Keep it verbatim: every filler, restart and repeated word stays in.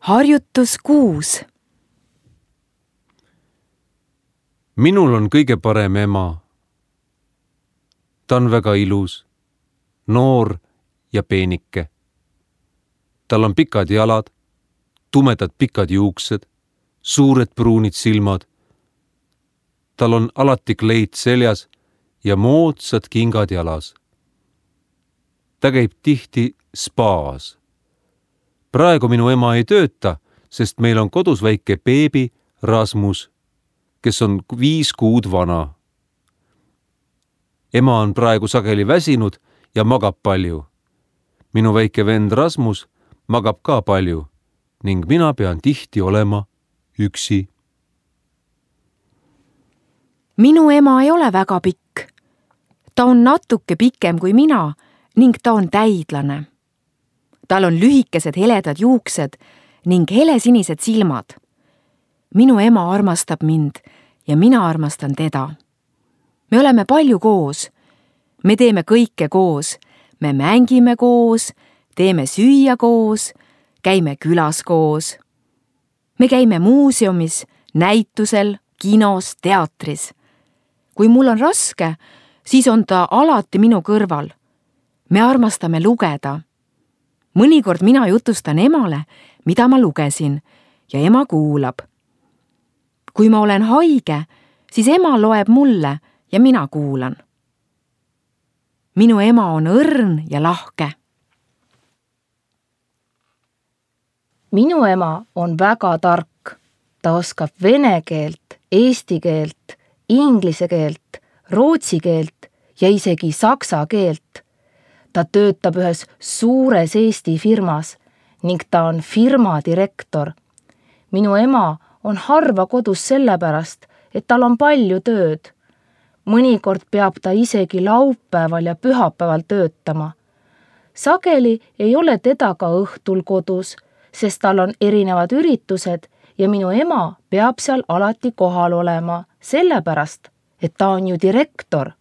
Harjutus kuus. Minul on kõige parem ema. Ta on väga ilus, noor ja peenike. Tal on pikad jalad, tumedad pikad juuksed, suured pruunid silmad. Tal on alati kleit seljas ja moodsad kingad jalas. Ta käib tihti spaas. Praegu minu ema ei tööta, sest meil on kodus väike beebi Rasmus, kes on viis kuud vana. Ema on praegu sageli väsinud ja magab palju. Minu väike vend Rasmus magab ka palju ning mina pean tihti olema üksi. Minu ema ei ole väga pikk. Ta on natuke pikem kui mina ning ta on täidlane. Tal on lühikesed heledad juuksed ning helesinised silmad. Minu ema armastab mind ja mina armastan teda. Me oleme palju koos. Me teeme kõike koos. Me mängime koos, teeme süüa koos, käime külas koos. Me käime muuseumis, näitusel, kinos, teatris. Kui mul on raske, siis on ta alati minu kõrval. Me armastame lugeda. Mõnikord mina jutustan emale, mida ma lugesin, ja ema kuulab. Kui ma olen haige, siis ema loeb mulle ja mina kuulan. Minu ema on õrn ja lahke. Minu ema on väga tark. Ta oskab vene keelt, eesti keelt, inglise keelt, rootsi keelt ja isegi saksa keelt. Ta töötab ühes suures Eesti firmas ning ta on firma direktor. Minu ema on harva kodus sellepärast, et tal on palju tööd. Mõnikord peab ta isegi laupäeval ja pühapäeval töötama. Sageli ei ole teda ka õhtul kodus, sest tal on erinevad üritused ja minu ema peab seal alati kohal olema, sellepärast, et ta on ju direktor.